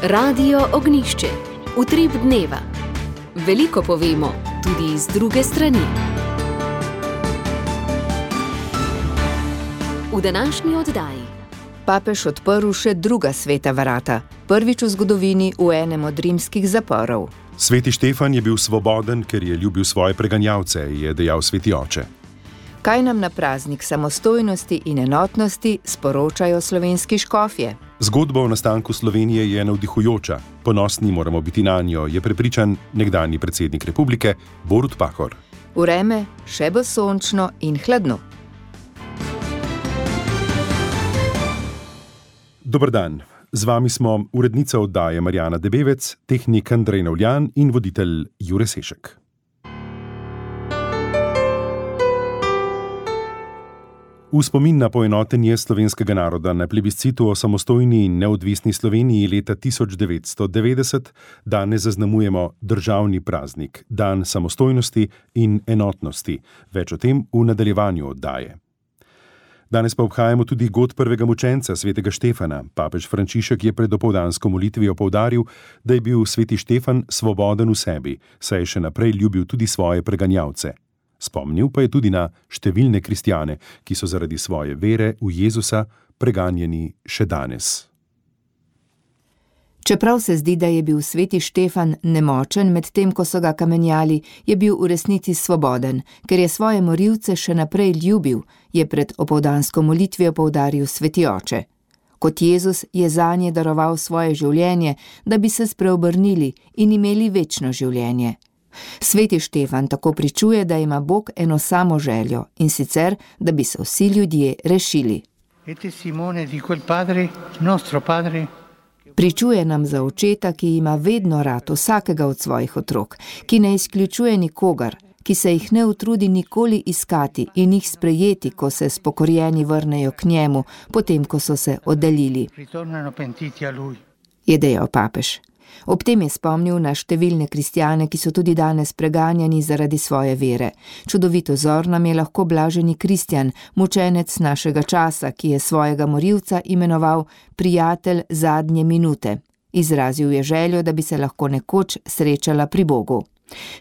Radio Ognišče, utrip dneva. Veliko povemo, tudi z druge strani. V današnji oddaji. Papež odprl še druga sveta vrata, prvič v zgodovini v enem od rimskih zaporov. Sveti Štefan je bil svoboden, ker je ljubil svoje preganjavce, je dejal sveti oče. Kaj nam na praznik samostojnosti in enotnosti sporočajo slovenski škofje? Zgodba o nastanku Slovenije je navdihujoča. Ponosni moramo biti nanjo, je prepričan nekdanji predsednik republike Borut Pahor. Vreme še bo sončno in hladno. Dober dan. Z vami smo urednica oddaje Marjana Debevec, tehnik Andrej Navljan in voditelj Jure Sešek. V spomin na poenotenje slovenskega naroda na plebiscitu o samostojni in neodvisni Sloveniji leta 1990 danes zaznamujemo državni praznik, dan samostojnosti in enotnosti. Več o tem v nadaljevanju oddaje. Danes pa obhajamo tudi god prvega mučenca, svetega Štefana. Papež Frančišek je pred opoldansko molitvijo poudaril, da je bil sveti Štefan svoboden v sebi, saj je še naprej ljubil tudi svoje preganjavce. Spomnil pa je tudi na številne kristjane, ki so zaradi svoje vere v Jezusa preganjeni še danes. Čeprav se zdi, da je bil sveti Štefan nemočen med tem, ko so ga kamenjali, je bil v resnici svoboden, ker je svoje morilce še naprej ljubil, je pred opoldansko molitvijo poudaril sveti oče. Kot Jezus je zanje daroval svoje življenje, da bi se spreobrnili in imeli večno življenje. Sveti Štefan tako pričuje, da ima Bog eno samo željo, in sicer, da bi se vsi ljudje rešili. Pričuje nam za očeta, ki ima vedno rad vsakega od svojih otrok, ki ne izključuje nikogar, ki se jih ne utrudi nikoli iskati in jih sprejeti, ko se spokorjeni vrnejo k njemu, potem ko so se oddaljili, je dejal papež. Ob tem je spomnil na številne kristjane, ki so tudi danes preganjani zaradi svoje vere. Čudovit vzor nam je lahko blaženi kristjan, mučenec našega časa, ki je svojega morilca imenoval prijatelj zadnje minute. Izrazil je željo, da bi se lahko nekoč srečala pri Bogu.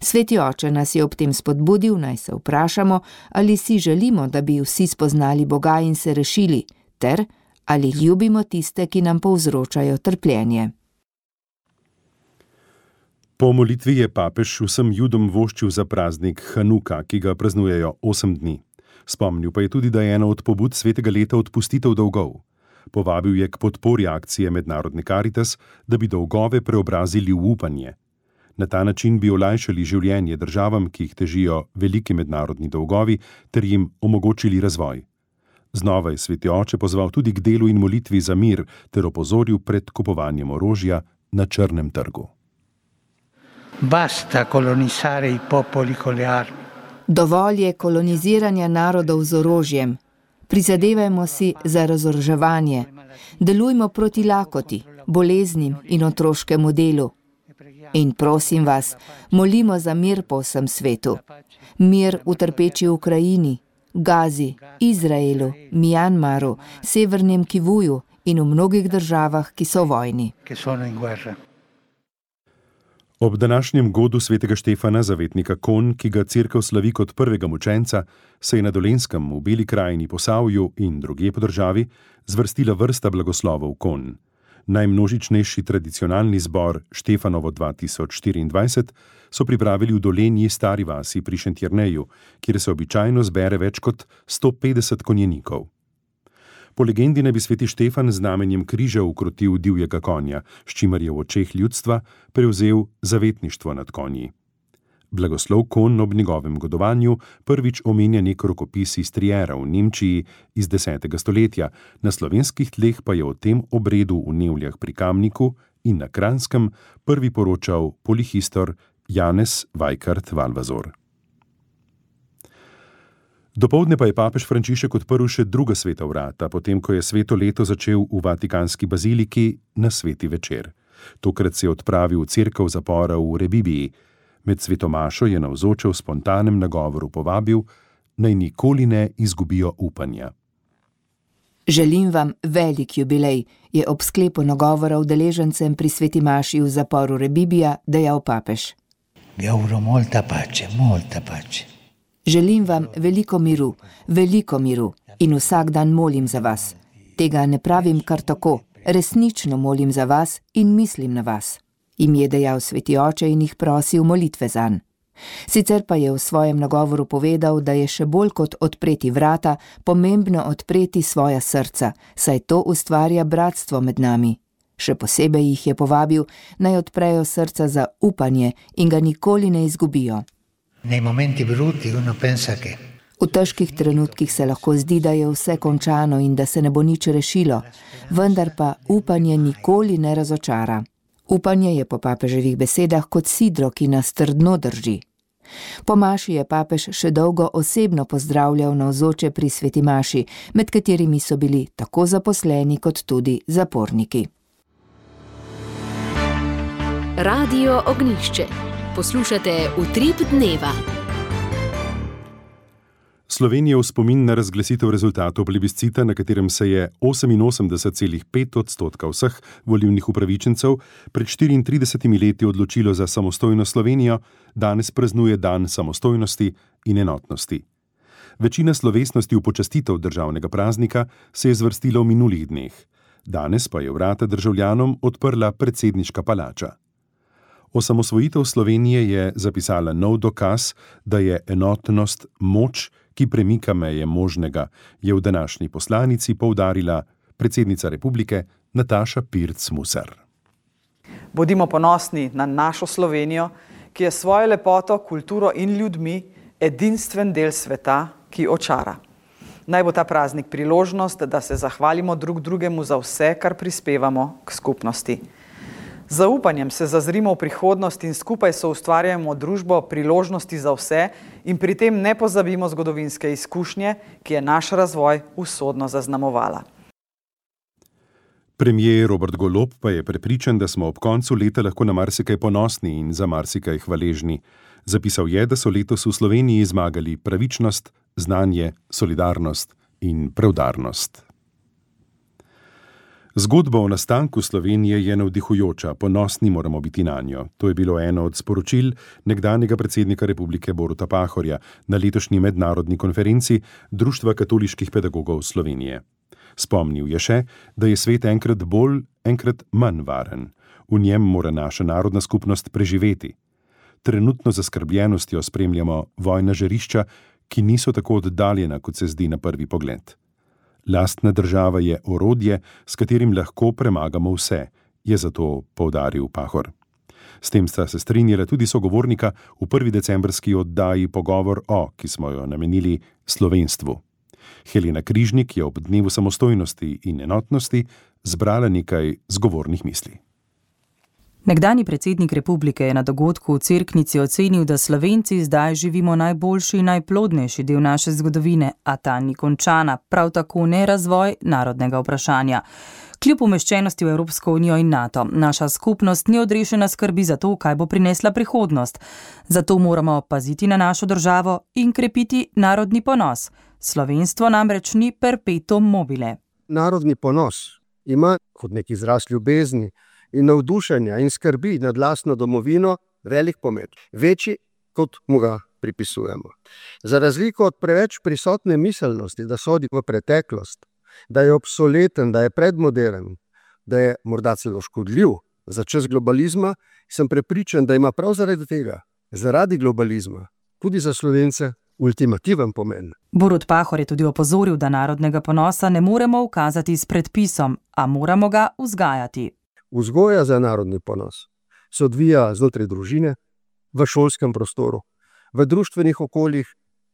Sveti oče nas je ob tem spodbudil, naj se vprašamo, ali si želimo, da bi vsi spoznali Boga in se rešili, ter ali ljubimo tiste, ki nam povzročajo trpljenje. Po molitvi je papež vsem Judom voščil za praznik Hanuka, ki ga praznujejo 8 dni. Spomnil pa je tudi, da je ena od pobud svetega leta odpustitev dolgov. Povabil je k podpori akcije Mednarodne Karitas, da bi dolgove preobrazili v upanje. Na ta način bi olajšali življenje državam, ki jih težijo veliki mednarodni dolgovi, ter jim omogočili razvoj. Znova je sveti oče pozval tudi k delu in molitvi za mir, ter opozoril pred kupovanjem orožja na črnem trgu. Basta colonizzare i popoli con le armi. Dovolj je koloniziranja narodov z orožjem. Prizadevajmo si za razoroževanje. Delujmo proti lakoti, boleznim in otroškemu delu. In prosim vas, molimo za mir po vsem svetu. Mir v trpeči Ukrajini, Gazi, Izraelu, Mjanmaru, Severnem Kivuju in v mnogih državah, ki so v vojni. Ob današnjem godu svetega Štefana, zavetnika Kon, ki ga cerkev slavi kot prvega mučenca, se je na Dolenjskem, v Beli krajini, Posavju in drugje po državi zvrstila vrsta blagoslovov Kon. Najmnožičnejši tradicionalni zbor Štefanovo 2024 so pripravili v Dolenji Stari vasi pri Šentjerneju, kjer se običajno zbere več kot 150 konjenikov. Po legendi naj bi sveti Štefan z znamenjem križa ukrotil divjega konja, s čimer je v očeh ljudstva prevzel zavetništvo nad konji. Blagoslov Kon ob njegovem godovanju prvič omenja nek rokopis iz Triera v Nemčiji iz 10. stoletja, na slovenskih tleh pa je o tem obredu v Nevljah pri Kamniku in na Kranjskem prvi poročal polihistor Janez Vajkard Valvazor. Dopoldne pa je papež Frančišek odprl še druga sveta vrata, potem ko je sveto leto začel v Vatikanski baziliki na sveti večer. Tokrat se je odpravil v cerkev zapora v Rebibiji. Med svetomašo je navzoče v spontanem nagovoru povabil, naj nikoli ne izgubijo upanja. Želim vam velik jubilej, je ob sklepu nagovora udeležencem pri sveti maši v zaporu Rebibija dejal papež. Vi auguro molta pace, molta pace. Želim vam veliko miru in vsak dan molim za vas. Tega ne pravim kar tako, resnično molim za vas in mislim na vas. Jim je dejal sveti oče in jih prosil molitve zanj. Sicer pa je v svojem nagovoru povedal, da je še bolj kot odpreti vrata, pomembno odpreti svoja srca, saj to ustvarja bratstvo med nami. Še posebej jih je povabil, naj odprejo srca za upanje in ga nikoli ne izgubijo. Nei momenti brutti uno pensa che V težkih trenutkih se lahko zdi, da je vse končano in da se ne bo nič rešilo, vendar pa upanje nikoli ne razočara. Upanje je po papeževih besedah kot sidro, ki nas trdno drži. Po maši je papež še dolgo osebno pozdravljal navzoče pri sveti maši, med katerimi so bili tako zaposleni kot tudi zaporniki. Radio Ognjišče. Poslušate Utrip dneva. Slovenija v spomin na razglasitev rezultatov plebiscita, na katerem se je 88,5% vseh volilnih upravičencev pred 34 leti odločilo za samostojno Slovenijo, danes praznuje dan samostojnosti in enotnosti. Večina slovesnosti v počastitev državnega praznika se je zvrstila v minulih dneh. Danes pa je vrata državljanom odprla predsedniška palača. Osamosvojitev Slovenije je zapisala nov dokaz, da je enotnost moč, ki premika meje možnega, je v današnji poslanici poudarila predsednica republike Nataša Pirc Musar. Bodimo ponosni na našo Slovenijo, ki je svojo lepoto, kulturo in ljudmi edinstven del sveta, ki očara. Naj bo ta praznik priložnost, da se zahvalimo drug drugemu za vse, kar prispevamo k skupnosti. Z zaupanjem se zazrimo v prihodnost in skupaj soustvarjamo družbo priložnosti za vse in pri tem ne pozabimo zgodovinske izkušnje, ki je naš razvoj usodno zaznamovala. Premier Robert Golob pa je prepričan, da smo ob koncu leta lahko na marsikaj ponosni in za marsikaj hvaležni. Zapisal je, da so letos v Sloveniji zmagali pravičnost, znanje, solidarnost in preudarnost. Zgodba o nastanku Slovenije je navdihujoča, ponosni moramo biti nanjo. To je bilo eno od sporočil nekdanjega predsednika republike Boruta Pahorja na letošnji mednarodni konferenci Društva katoliških pedagogov Slovenije. Spomnil je še, da je svet enkrat bolj, enkrat manj varen. V njem mora naša narodna skupnost preživeti. Trenutno zaskrbljenostjo spremljamo vojna žarišča, ki niso tako oddaljena, kot se zdi na prvi pogled. Lastna država je orodje, s katerim lahko premagamo vse, je zato poudaril Pahor. S tem sta se strinjala tudi sogovornika v 1. decembrski oddaji Pogovor o, ki smo jo namenili slovenstvu. Helena Križnik je ob dnevu samostojnosti in enotnosti zbrala nekaj zgovornih misli. Nekdanji predsednik republike je na dogodku v Cerknici ocenil, da Slovenci zdaj živimo najboljši in najplodnejši del naše zgodovine, a ta ni končana, prav tako ne razvoj narodnega vprašanja. Kljub umeščenosti v Evropsko unijo in NATO, naša skupnost ni odrešena skrbi za to, kaj bo prinesla prihodnost. Zato moramo paziti na našo državo in krepiti narodni ponos. Slovenstvo namreč ni perpetuum mobile. Narodni ponos ima kot nek izraz ljubezni in navdušenja in skrbi nad lastno domovino velik pomen, večji kot mu ga pripisujemo. Za razliko od preveč prisotne miselnosti, da sodi v preteklost, da je obsoleten, da je predmoderen, da je morda celo škodljiv za čas globalizma, sem prepričan, da ima prav zaradi tega, zaradi globalizma, tudi za Slovence ultimativen pomen. Borut Pahor je tudi opozoril, da narodnega ponosa ne moremo ukazati s predpisom, a moramo ga vzgajati. Vzgoja za narodni ponos se odvija znotraj družine, v šolskem prostoru, v društvenih okoljih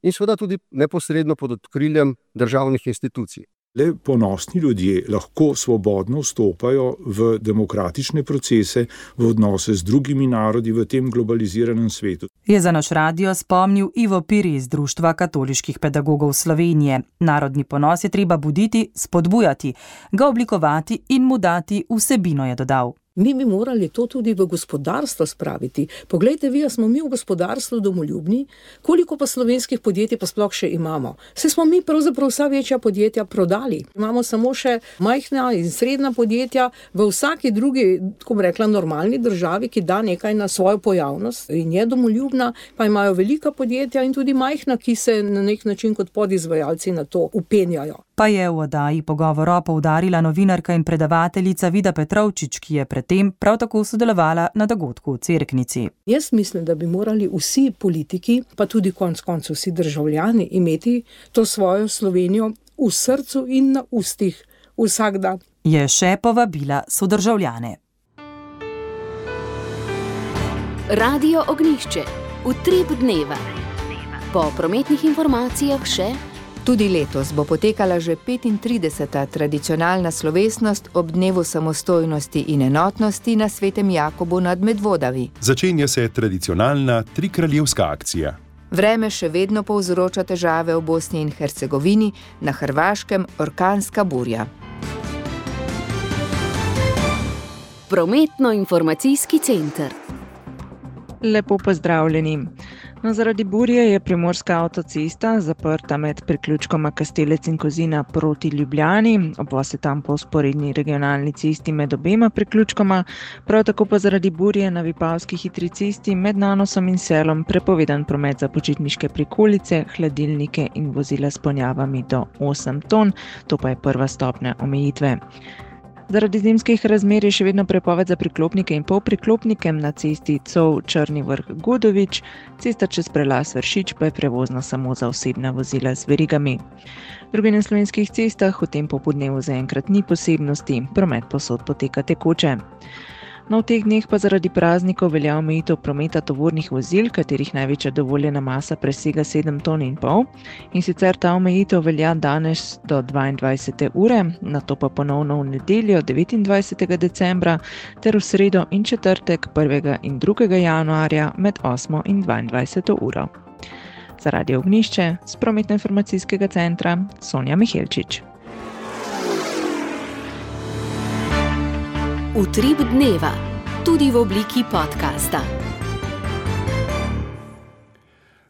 in seveda tudi neposredno pod okriljem državnih institucij. Le ponosni ljudje lahko svobodno vstopajo v demokratične procese, v odnose z drugimi narodi v tem globaliziranem svetu. Je za naš radio spomnil Ivo Piri iz Društva katoliških pedagogov Slovenije. Narodni ponos je treba buditi, spodbujati, ga oblikovati in mu dati vsebino, je dodal. Mi bi morali to tudi v gospodarstvo spraviti. Poglejte vi, smo mi v gospodarstvu domoljubni, koliko pa slovenskih podjetij pa sploh še imamo. Saj smo mi pravzaprav vsa večja podjetja prodali. Imamo samo še majhna in srednja podjetja v vsaki drugi, tako bi rekla, normalni državi, ki da nekaj na svojo pojavnost in je domoljubna, pa imajo velika podjetja in tudi majhna, ki se na nek način kot podizvajalci na to upenjajo. Pa je v oddaji Pogovora poudarila novinarka in predavateljica Vida Petrovčič, ki je predtem prav tako sodelovala na dogodku v Cerknici. Jaz mislim, da bi morali vsi politiki, pa tudi konec koncev vsi državljani, imeti to svojo Slovenijo v srcu in na ustih vsak dan. Je še povabila sodržavljane. Radio Ognjišče. Utrip dneva. Po prometnih informacijah še... Tudi letos bo potekala že 35. tradicionalna slovesnost ob dnevu samostojnosti in enotnosti na Svetem Jakobu nad Medvodavi. Začenja se tradicionalna trikraljevska akcija. Vreme še vedno povzroča težave v Bosni in Hercegovini, na Hrvaškem orkanska burja. Prometno-informacijski center. Lepo pozdravljeni. Zaradi burje je primorska avtocesta zaprta med priključkoma Kastelec in Kozina proti Ljubljani, obvoz je tam po vzporedni regionalni cesti med obema priključkoma, prav tako pa zaradi burje na Vipavski hitri cesti med Nanosom in Selom prepovedan promet za počitniške prikolice, hladilnike in vozila s ponjavami do 8 ton, to pa je prva stopnja omejitve. Zaradi zimskih razmer je še vedno prepoved za priklopnike in polpriklopnike na cesti Cov-Črni Vrh-Gudovič, cesta čez prelaz Vršič pa je prevozna samo za osebna vozila z verigami. Drugi na slovenskih cestah v tem popoldnevu zaenkrat ni posebnosti, promet povsod poteka tekoče. No, v teh dneh pa zaradi praznikov velja omejitev prometa tovornih vozil, katerih največja dovoljena masa presega 7,5 ton, in sicer ta omejitev velja danes do 22. ure, nato pa ponovno v nedeljo 29. decembra ter v sredo in četrtek 1. in 2. januarja med 8. in 22. uro. Za Radio Ognjišče z prometno-informacijskega centra Sonja Mihelčič. Utrip dneva, tudi v obliki podcasta.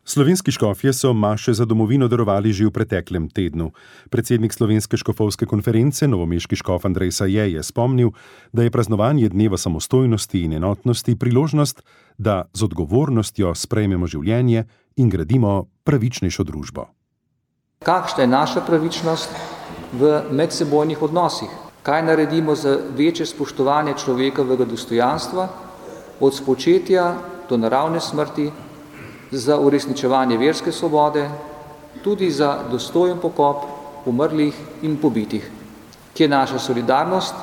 Slovenski škofje so maše za domovino darovali že v preteklem tednu. Predsednik Slovenske škofovske konference, novomeški škof Andrej Saje, je spomnil, da je praznovanje dneva samostojnosti in enotnosti priložnost, da z odgovornostjo sprejmemo življenje in gradimo pravičnejšo družbo. Kakšna je naša pravičnost v medsebojnih odnosih? Kaj naredimo za večje spoštovanje človekovega dostojanstva, od spočetja do naravne smrti, za uresničevanje verske svobode, tudi za dostojen pokop umrlih in pobitih, ki je naša solidarnost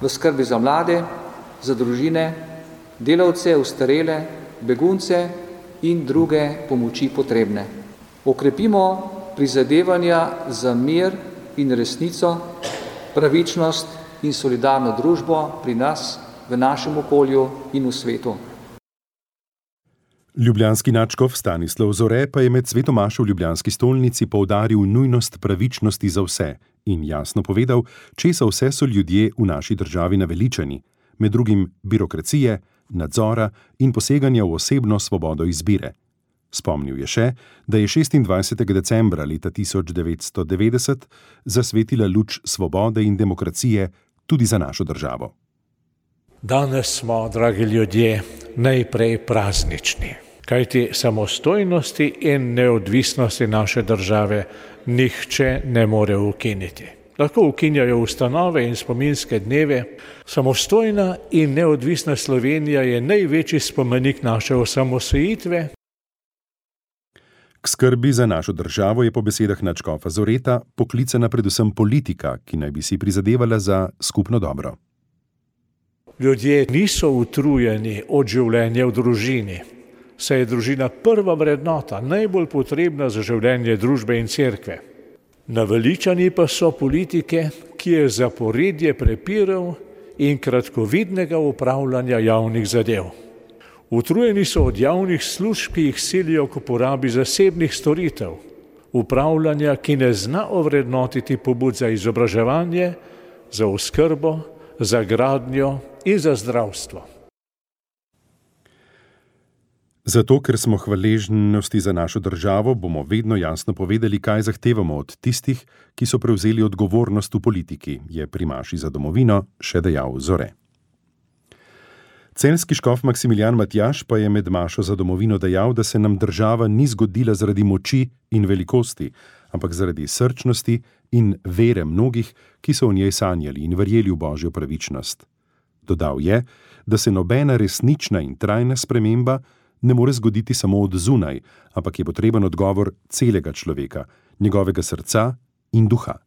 v skrbi za mlade, za družine, delavce, ostarele, begunce in druge pomoči potrebne. Okrepimo prizadevanja za mir in resnico, pravičnost in solidarno družbo pri nas, v našem okolju in v svetu. Ljubljanski nadškof Stanislav Zore pa je med svetomašo v ljubljanski stolnici poudaril nujnost pravičnosti za vse in jasno povedal, česa vse so ljudje v naši državi naveličani, med drugim birokracije, nadzora in poseganja v osebno svobodo izbire. Spomnil je še, da je 26. decembra leta 1990 zasvetila luč svobode in demokracije tudi za našo državo. Danes smo, dragi ljudje, najprej praznični, kajti samostojnosti in neodvisnosti naše države nihče ne more ukiniti. Lahko ukinjajo ustanove in spominske dneve. Samostojna in neodvisna Slovenija je največji spomenik naše osamosvojitve. K skrbi za našo državo je po besedah nadškofa Zoreta poklicana predvsem politika, ki naj bi si prizadevala za skupno dobro. Ljudje niso utrujeni od življenja v družini, saj je družina prva vrednota, najbolj potrebna za življenje družbe in cerkve. Naveličani pa so politike, ki je zaporedje prepirov in kratkovidnega upravljanja javnih zadev. Utrujeni so od javnih služb, ki jih silijo k uporabi zasebnih storitev, upravljanja, ki ne zna ovrednotiti pobud za izobraževanje, za oskrbo, za gradnjo in za zdravstvo. Zato, ker smo hvaležnosti za našo državo, bomo vedno jasno povedali, kaj zahtevamo od tistih, ki so prevzeli odgovornost v politiki, je pri maši za domovino še dejal Zore. Celjski škof Maksimilijan Matjaž pa je med mašo za domovino dejal, da se nam država ni zgodila zaradi moči in velikosti, ampak zaradi srčnosti in vere mnogih, ki so v njej sanjali in verjeli v božjo pravičnost. Dodal je, da se nobena resnična in trajna sprememba ne more zgoditi samo od zunaj, ampak je potreben odgovor celega človeka, njegovega srca in duha.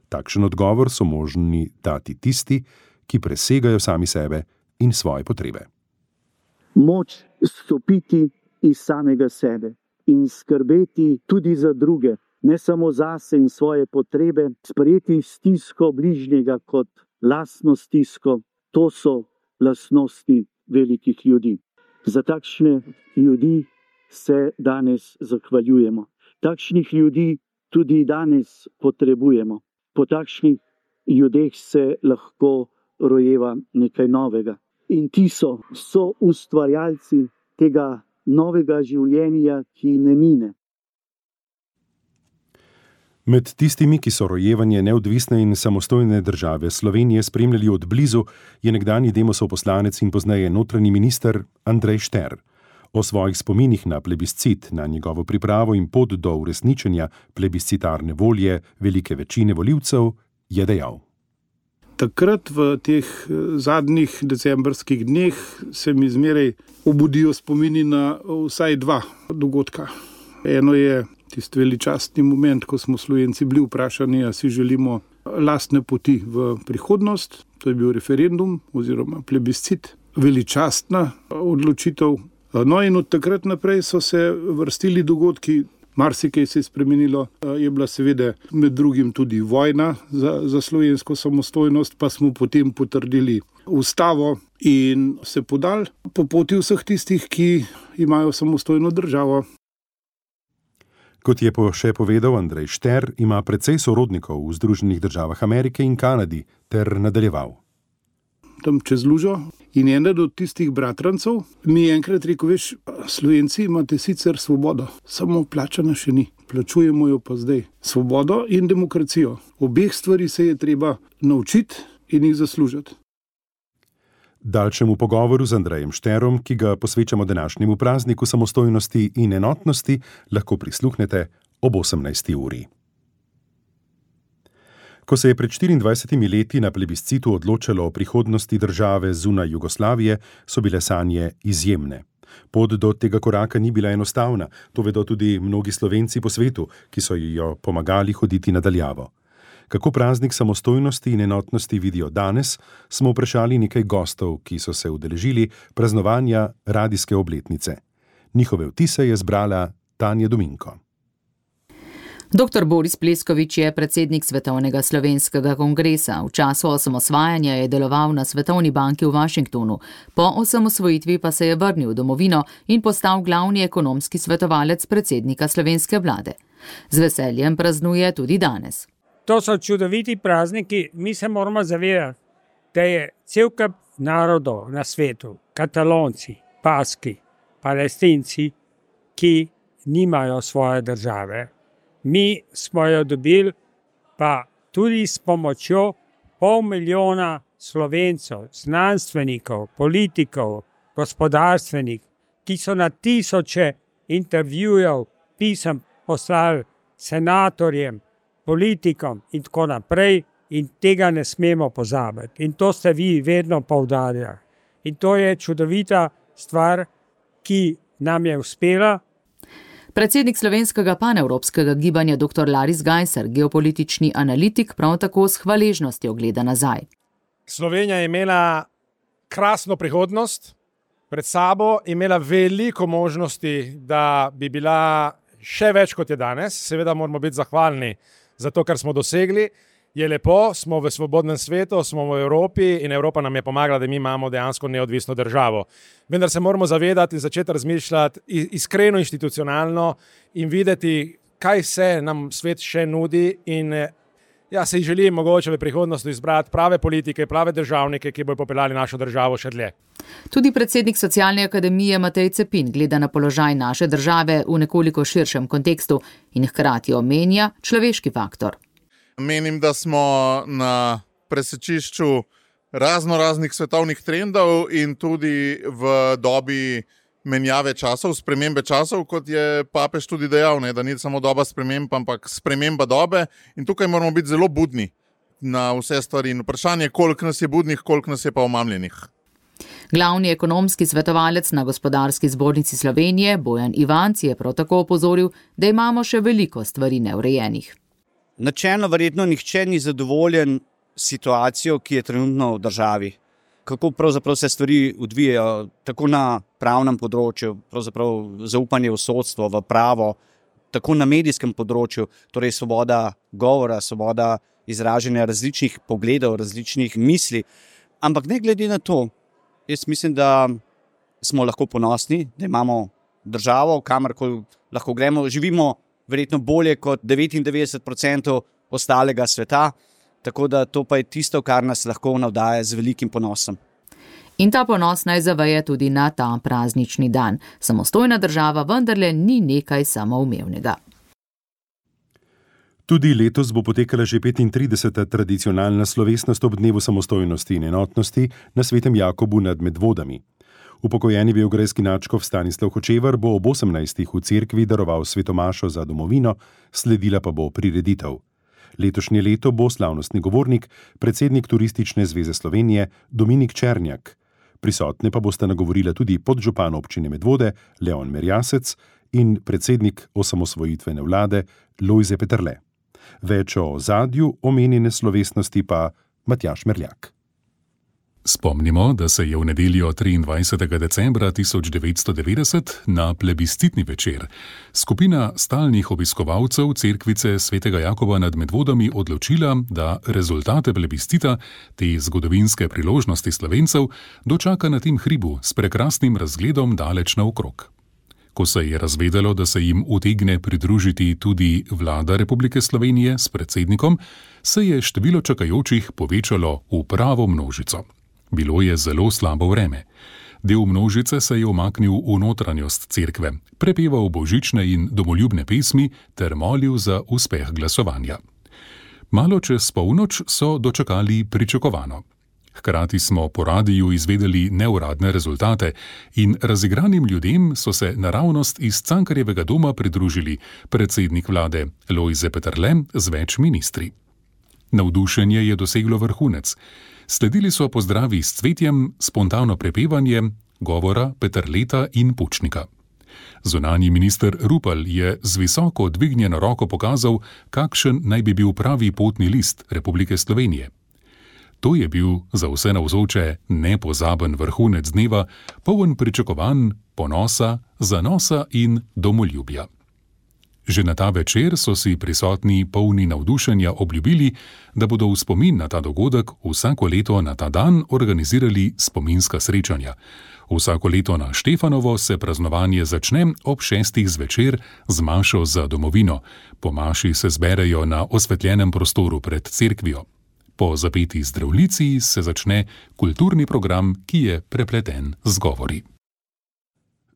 Takšen odgovor so možni dati tisti, ki presegajo sami sebe in svoje potrebe. Moč stopiti iz samega sebe in skrbeti tudi za druge, ne samo zase in svoje potrebe, sprejeti stisko bližnjega kot lastno stisko, to so lastnosti velikih ljudi. Za takšne ljudi se danes zahvaljujemo. Takšnih ljudi tudi danes potrebujemo. Po takšnih ljudeh se lahko rojeva nekaj novega. In ti so ustvarjalci tega novega življenja, ki ne mine. Med tistimi, ki so rojevanje neodvisne in samostojne države Slovenije spremljali od blizu, je nekdanji Demosov poslanec in pozneje notranji minister Andrej Šter. O svojih spominih na plebiscit, na njegovo pripravo in pot do uresničenja plebiscitarne volje velike večine volivcev je dejal. Takrat v teh zadnjih decembrskih dneh se mi zmeraj obudijo spomini na vsaj dva dogodka. Eno je tisti veličastni moment, ko smo Slovenci bili vprašani, a si želimo lastne poti v prihodnost. To je bil referendum oziroma plebiscit. Veličastna odločitev. No in od takrat naprej so se vrstili dogodki, marsikaj se je spremenilo. Je bila seveda med drugim tudi vojna za slovensko samostojnost, pa smo potem potrdili ustavo in se podali po poti vseh tistih, ki imajo samostojno državo. Kot je še povedal Andrej Šter, ima precej sorodnikov v Združenih državah Amerike in Kanadi ter nadaljeval. Tam čez lužo in eden od tistih bratrancev mi je enkrat rekel, veš, Slovenci imate sicer svobodo, samo plačana še ni. Plačujemo jo pa zdaj. Svobodo in demokracijo. Obeh stvari se je treba naučiti in jih zaslužiti. Daljšemu pogovoru z Andrejem Šterom, ki ga posvečamo današnjemu prazniku samostojnosti in enotnosti, lahko prisluhnete ob 18. uri. Ko se je pred 24 leti na plebiscitu odločalo o prihodnosti države zunaj Jugoslavije, so bile sanje izjemne. Pot do tega koraka ni bila enostavna, to vedo tudi mnogi Slovenci po svetu, ki so jo pomagali hoditi nadaljavo. Kako praznik samostojnosti in enotnosti vidijo danes, smo vprašali nekaj gostov, ki so se udeležili praznovanja radijske obletnice. Njihove vtise je zbrala Tanja Dominko. Dr. Boris Pleskovič je predsednik Svetovnega slovenskega kongresa. V času osamosvajanja je deloval na Svetovni banki v Washingtonu. Po osamosvojitvi pa se je vrnil v domovino in postal glavni ekonomski svetovalec predsednika slovenske vlade. Z veseljem praznuje tudi danes. To so čudoviti prazniki, mi se moramo zavedati, da je cel kup narodov na svetu, Katalonci, Baski, Palestinci, ki nimajo svoje države. Mi smo jo dobili pa tudi s pomočjo 500 milijona Slovencev, znanstvenikov, politikov, gospodarstvenikov, ki so na tisoče intervjujev, pisem poslali senatorjem, politikom in tako naprej, in tega ne smemo pozabiti. In to ste vi vedno poudarjali. In to je čudovita stvar, ki nam je uspela. Predsednik slovenskega panevropskega gibanja dr. Laris Gajser, geopolitični analitik, prav tako s hvaležnostjo gleda nazaj. Slovenija je imela krasno prihodnost, pred sabo imela veliko možnosti, da bi bila še več kot je danes. Seveda moramo biti zahvalni za to, kar smo dosegli. Je lepo, smo v svobodnem svetu, smo v Evropi in Evropa nam je pomagala, da mi imamo dejansko neodvisno državo. Vendar se moramo zavedati in začeti razmišljati iskreno institucionalno in videti, kaj se nam svet še nudi in Ja, se želim mogoče v prihodnosti izbrati prave politike, prave državnike, ki bodo popeljali našo državo še dlje. Tudi predsednik Socialne akademije Matej Cepin gleda na položaj naše države v nekoliko širšem kontekstu in hkrati omenja človeški faktor. Menim, da smo na presečišču raznih svetovnih trendov in tudi v dobi menjave časov, spremembe časov, kot je papež tudi dejal, ne, da ni samo doba sprememb, ampak sprememba dobe in tukaj moramo biti zelo budni na vse stvari in vprašanje, koliko nas je budnih, koliko nas je pa omamljenih. Glavni ekonomski svetovalec na Gospodarski zbornici Slovenije, Bojan Ivanc, je prav tako opozoril, da imamo še veliko stvari neurejenih. Načelno verjetno nihče ni zadovoljen situacijo, ki je trenutno v državi. Kako pravzaprav se stvari odvijajo, tako na pravnem področju, pravzaprav zaupanje v sodstvo, v pravo, tako na medijskem področju, torej svoboda govora, svoboda izražanja različnih pogledov, različnih misli. Ampak ne glede na to, jaz mislim, da smo lahko ponosni, da imamo državo, kamorkoli lahko gremo, živimo verjetno bolje kot 99% ostalega sveta. Tako da to pa je tisto, kar nas lahko navdaja z velikim ponosom. In ta ponos naj zaveje tudi na ta praznični dan. Samostojna država vendarle ni nekaj samoumevnega. Tudi letos bo potekala že 35. tradicionalna slovesnost ob dnevu samostojnosti in enotnosti na Svetem Jakobu nad Medvodami. Upokojeni beograjski nadškof Stanislav Hočevar bo ob 18. v cerkvi daroval svetomašo za domovino, sledila pa bo prireditev. Letošnje leto bo slavnostni govornik, predsednik Turistične zveze Slovenije Dominik Černjak. Prisotne pa bosta nagovorila tudi podžupan občine Medvode Leon Merjasec in predsednik osamosvojitvene vlade Lojze Peterle. Več o ozadju omenjene slovesnosti pa Matjaž Merljak. Spomnimo, da se je v nedeljo 23. decembra 1990 na plebiscitni večer skupina stalnih obiskovalcev cerkvice Svetega Jakoba nad Medvodami odločila, da rezultate plebiscita, te zgodovinske priložnosti Slovencev, dočaka na tem hribu s prekrasnim razgledom daleč naokrog. Ko se je razvedelo, da se jim utegne pridružiti tudi vlada Republike Slovenije s predsednikom, se je število čakajočih povečalo v pravo množico. Bilo je zelo slabo vreme. Del množice se je umaknil v notranjost cerkve, prepeval božične in domoljubne pesmi ter molil za uspeh glasovanja. Malo čez polnoč so dočakali pričakovano. Hkrati smo po radiju izvedeli neuradne rezultate in razigranim ljudem so se naravnost iz Cankarjevega doma pridružili predsednik vlade Lojze Peterle z več ministri. Navdušenje je doseglo vrhunec. Sledili so pozdravi s cvetjem, spontano prepevanje, govora Peterleta in Pučnika. Zunanji minister Rupel je z visoko dvignjeno roko pokazal, kakšen naj bi bil pravi potni list Republike Slovenije. To je bil za vse navzoče nepozaben vrhunec dneva, poln pričakovanj, ponosa, zanosa in domoljubja. Že na ta večer so si prisotni polni navdušenja obljubili, da bodo v spomin na ta dogodek vsako leto na ta dan organizirali spominska srečanja. Vsako leto na Štefanovo se praznovanje začne ob 6. zvečer z mašo za domovino. Po maši se zberejo na osvetljenem prostoru pred cerkvijo. Po zapeti zdravljici se začne kulturni program, ki je prepleten z govori.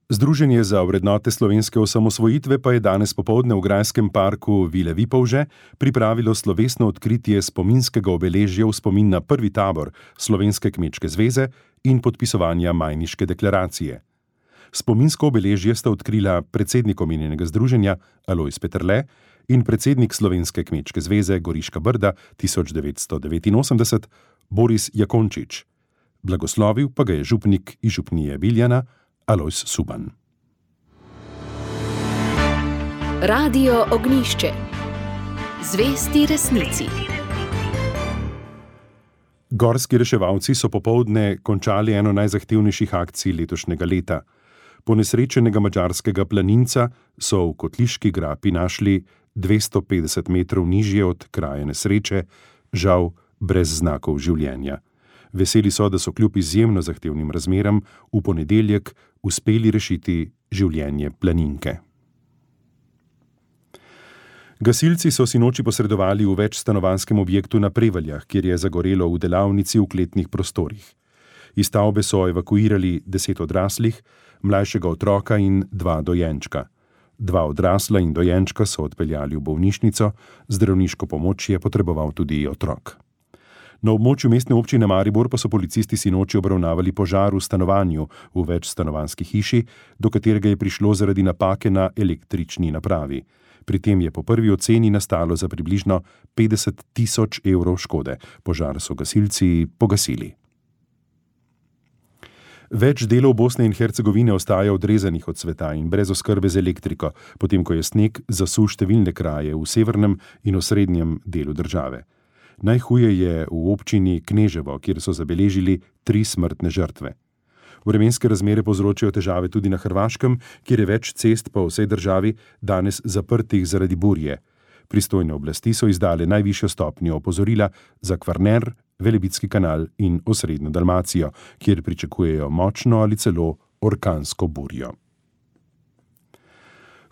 Združenje za vrednote slovenske osamosvojitve pa je danes popoldne v grajskem parku Vile Vipavže pripravilo slovesno odkritje spominskega obeležja v spomin na prvi tabor Slovenske kmečke zveze in podpisovanja Majniške deklaracije. Spominsko obeležje sta odkrila predsednik omenjenega združenja Alojz Peterle in predsednik Slovenske kmečke zveze Goriška Brda 1989 Boris Jakončič. Blagoslovil pa ga je župnik iz župnije Biljana Alojz Suban. Radio Ognjišče. Zvesti resnici. Gorski reševalci so popoldne končali eno najzahtevnejših akcij letošnjega leta. Ponesrečenega madžarskega planinca so v Kotliški grapi našli 250 metrov nižje od kraja nesreče, žal brez znakov življenja. Veseli so, da so kljub izjemno zahtevnim razmeram v ponedeljek uspeli rešiti življenje planinke. Gasilci so sinoči posredovali v večstanovanjskem objektu na Prevaljah, kjer je zagorelo v delavnici v kletnih prostorih. Iz stavbe so evakuirali 10 odraslih, mlajšega otroka in 2 dojenčka. 2 odrasla in dojenčka so odpeljali v bolnišnico, zdravniško pomoč je potreboval tudi otrok. Na območju mestne občine Maribor pa so policisti sinoči obravnavali požar v stanovanju v večstanovanjski hiši, do katerega je prišlo zaradi napake na električni napravi. Pri tem je po prvi oceni nastalo za približno 50 tisoč evrov škode. Požar so gasilci pogasili. Več delov Bosne in Hercegovine ostaja odrezanih od sveta in brez oskrbe z elektriko, potem ko je sneg zasul številne kraje v severnem in osrednjem delu države. Najhuje je v občini Kneževo, kjer so zabeležili 3 smrtne žrtve. Vremenske razmere povzročajo težave tudi na Hrvaškem, kjer je več cest po vsej državi danes zaprtih zaradi burje. Pristojne oblasti so izdale najvišjo stopnjo opozorila za Kvarner, Velebitski kanal in osrednjo Dalmacijo, kjer pričakujejo močno ali celo orkansko burjo.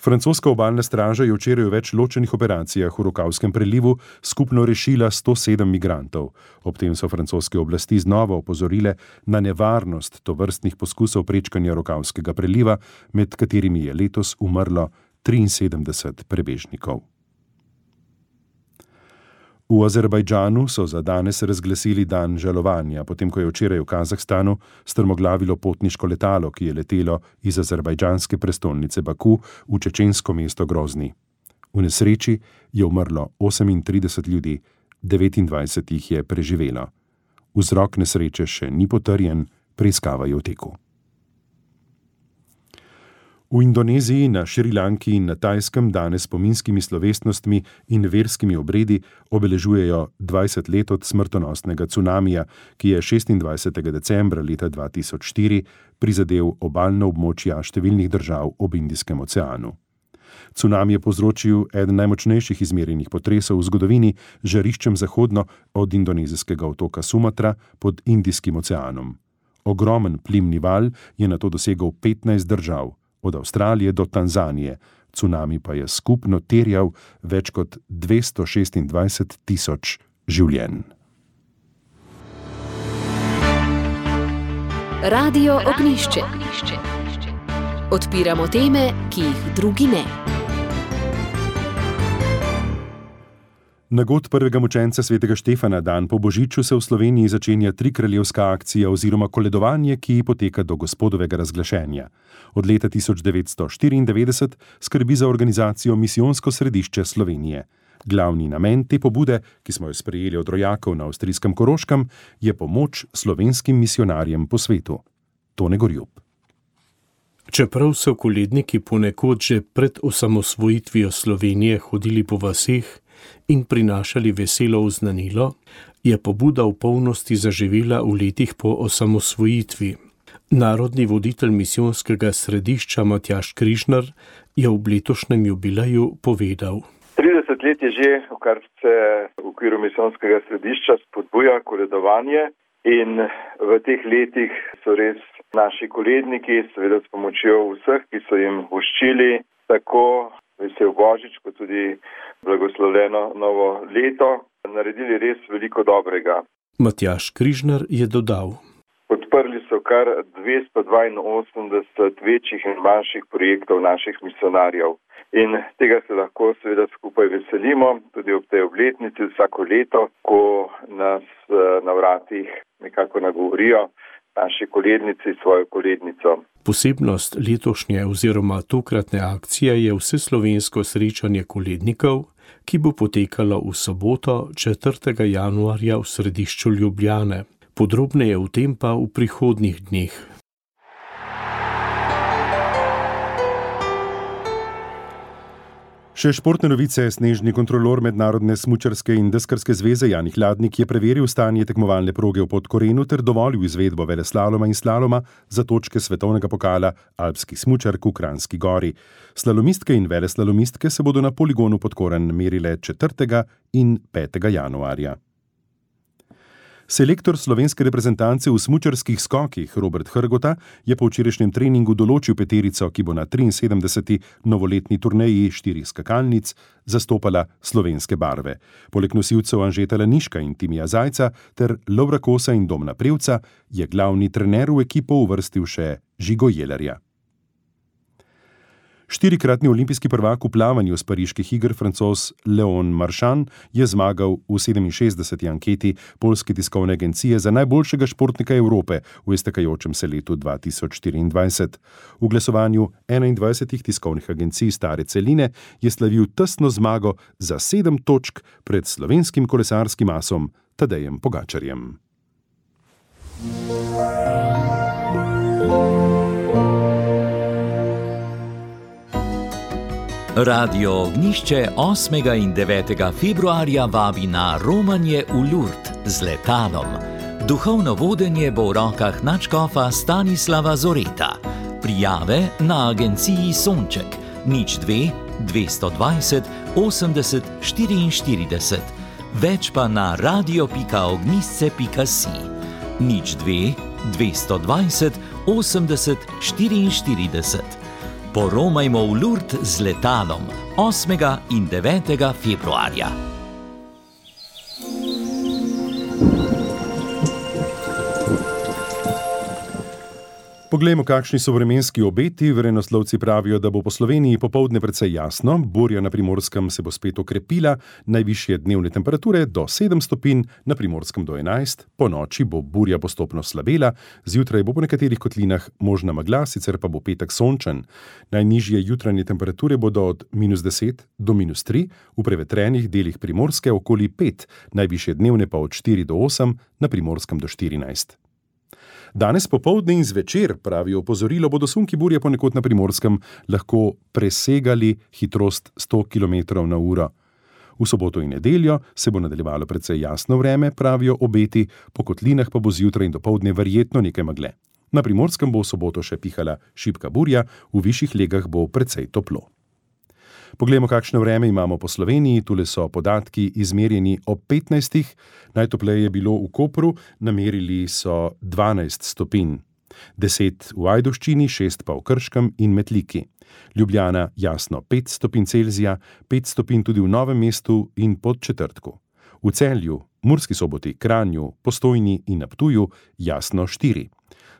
Francoska obalna straža je včeraj v več ločenih operacijah v Rokavskem prelivu skupno rešila 107 migrantov. Ob tem so francoske oblasti znova opozorile na nevarnost tovrstnih poskusov prečkanja Rokavskega preliva, med katerimi je letos umrlo 73 prebežnikov. V Azerbajdžanu so za danes razglasili dan žalovanja, potem ko je včeraj v Kazahstanu strmoglavilo potniško letalo, ki je letelo iz azerbajdžanske prestolnice Baku v čečensko mesto Grozni. V nesreči je umrlo 38 ljudi, 29 jih je preživelo. Vzrok nesreče še ni potrjen, preiskava je v teku. V Indoneziji, na Šrilanki in na Tajskem danes spominskimi slovesnostmi in verskimi obredi obeležujejo 20 let od smrtonosnega cunamija, ki je 26. decembra leta 2004 prizadel obalna območja številnih držav ob Indijskem oceanu. Cunami je povzročil eden najmočnejših izmerjenih potresov v zgodovini, žariščem zahodno od indonezijskega otoka Sumatra pod Indijskim oceanom. Ogromen plimni val je nato dosegel 15 držav, od Avstralije do Tanzanije. Cunami pa je skupno terjal več kot 226 tisoč življenj. Radio Ognjišče. Odpiramo teme, ki jih drugi ne. Na god prvega mučenca svetega Štefana dan po Božiču se v Sloveniji začenja trikraljevska akcija oziroma koledovanje, ki poteka do Gospodovega razglašenja. Od leta 1994 skrbi za organizacijo Misijonsko središče Slovenije. Glavni namen te pobude, ki smo jo sprejeli od rojakov na avstrijskem Koroškem, je pomoč slovenskim misionarjem po svetu. Tone Gorjup. Čeprav so koledniki ponekod že pred osamosvojitvijo Slovenije hodili po vaseh in prinašali veselo oznanilo, je pobuda v polnosti zaživela v letih po osamosvojitvi. Narodni voditelj misijonskega središča Matjaž Križnar je ob letošnjem jubileju povedal: 30 let je že, kar se v okviru misijonskega središča spodbuja koledovanje in v teh letih so res naši koledniki, seveda s pomočjo vseh, ki so jim voščili tako vesel Božič, kot tudi blagoslovljeno novo leto, naredili res veliko dobrega. Matjaž Križnar je dodal: Podprli so kar 282 večjih in manjših projektov naših misionarjev. In tega se lahko seveda skupaj veselimo, tudi ob tej obletnici vsako leto, ko nas na vratih nekako nagovorijo naši kolednici svojo kolednico. Posebnost letošnje oziroma tokratne akcije je vseslovensko srečanje kolednikov, ki bo potekalo v soboto 4. januarja v središču Ljubljane. Podrobneje o tem pa v prihodnjih dneh. Še športne novice. Snežni kontrolor Mednarodne smučarske in deskarske zveze Jani Hladnik je preveril stanje tekmovalne proge v Podkorenu ter dovolil izvedbo veleslaloma in slaloma za točke svetovnega pokala alpskih smučark v Kranjski Gori. Slalomistke in veleslalomistke se bodo na poligonu Podkoren merile 4. in 5. januarja. Selektor slovenske reprezentance v smučarskih skokih Robert Hrgota je po včerajšnjem treningu določil peterico, ki bo na 73. novoletni turneji 4 skakalnic zastopala slovenske barve. Poleg nosilcev Anžeta Laniška in Timija Zajca ter Lovra Kosa in Domna Prevca je glavni trener v ekipo uvrstil še Žigo Jelerja. 4-kratni olimpijski prvak v plavanju s pariških iger Francoz Leon Marchand je zmagal v 67. anketi Poljske tiskovne agencije za najboljšega športnika Evrope v iztekajočem se letu 2024. V glasovanju 21 tiskovnih agencij stare celine je slavil tesno zmago za 7 točk pred slovenskim kolesarskim asom Tadejem Pogačarjem. Radio Ognjišče 8. in 9. februarja vabi na romanje v Lourdes z letalom. Duhovno vodenje bo v rokah nadškofa Stanislava Zoreta. Prijave na agenciji Sonček 02 220 80 44. Več pa na radio.ognjisce.si 02 220 80 44. Poromajmo v Lourdes z letalom 8. in 9. februarja. Poglejmo, kakšni so vremenski obeti. Vremenoslovci pravijo, da bo po Sloveniji popoldne precej jasno, burja na Primorskem se bo spet okrepila, najvišje dnevne temperature do 7 stopinj, na Primorskem do 11, po noči bo burja postopno slabela, zjutraj bo po nekaterih kotlinah možna megla, sicer pa bo petek sončen. Najnižje jutranje temperature bodo od -10 do -3, v prevetrenih delih Primorske okoli 5, najvišje dnevne pa od 4 do 8, na Primorskem do 14. Danes popoldne in zvečer, pravijo opozorilo, bodo sunki burje ponekod na Primorskem lahko presegali hitrost 100 km/h. V soboto in nedeljo se bo nadaljevalo precej jasno vreme, pravijo obeti, po kotlinah pa bo zjutraj in dopoldne verjetno nekaj megle. Na Primorskem bo v soboto še pihala šibka burja, v višjih legah bo precej toplo. Poglejmo, kakšno vreme imamo po Sloveniji. Tule so podatki izmerjeni ob 15. Najtopleje je bilo v Kopru, namerili so 12 stopinj. 10 v Ajdovščini, 6 pa v Krškem in Metliki. Ljubljana jasno 5 stopinj Celzija, 5 stopinj tudi v Novem mestu in Podčetrtku. V Celju, Murski Soboti, Kranju, Postojni in na Ptuju jasno 4.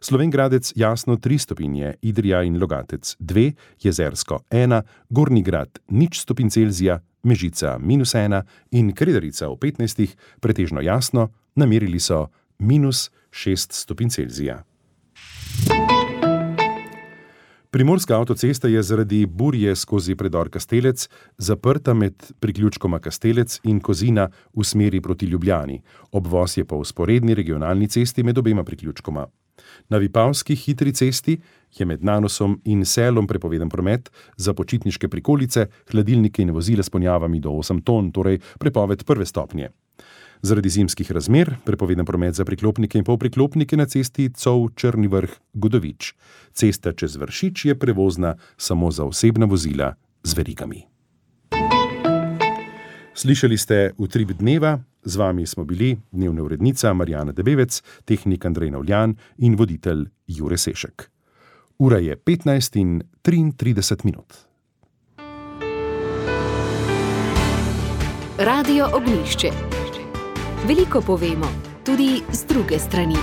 Slovenj Gradec jasno 3 stopinje, Idrija in Logatec 2, Jezersko 1, Gornji Grad 0 stopinj Celzija, Mežica -1 in Kredarica v 15. pretežno jasno, namerili so -6 stopinj Celzija. Primorska avtocesta je zaradi burje skozi predor Kastelec zaprta med priključkoma Kastelec in Kozina v smeri proti Ljubljani. Obvoz je po vzporedni regionalni cesti med obema priključkoma. Na Vipavski hitri cesti je med Nanosom in Selom prepovedan promet za počitniške prikolice, hladilnike in vozila s ponjavami do 8 ton, torej prepoved prve stopnje. Zaradi zimskih razmer prepovedan promet za priklopnike in polpriklopnike na cesti Cov-Črni Vrh-Godovič. Cesta čez Vršič je prevozna samo za osebna vozila z verigami. Slišali ste Utrip dneva, z vami smo bili dnevna urednica Marjana Debevec, tehnik Andrej Navljan in voditelj Jure Sešek. Ura je 15:33. Radio Ognjišče. Veliko povemo, tudi z druge strani.